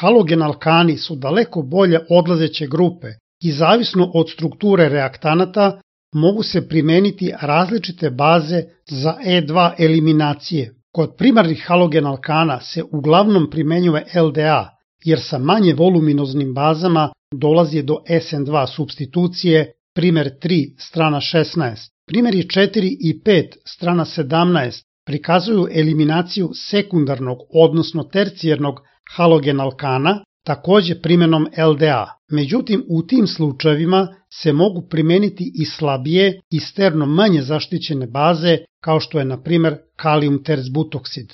halogen alkani su daleko bolje odlazeće grupe i zavisno od strukture reaktanata mogu se primeniti različite baze za E2 eliminacije. Kod primarnih halogen alkana se uglavnom primenjuje LDA, jer sa manje voluminoznim bazama dolazi do SN2 supstitucije, primer 3, strana 16. Primeri 4 i 5, strana 17, prikazuju eliminaciju sekundarnog, odnosno tercijernog halogen alkana, takođe primenom LDA. Međutim, u tim slučajevima se mogu primeniti i slabije i sterno manje zaštićene baze, kao što je na primer kalijum terzbutoksid.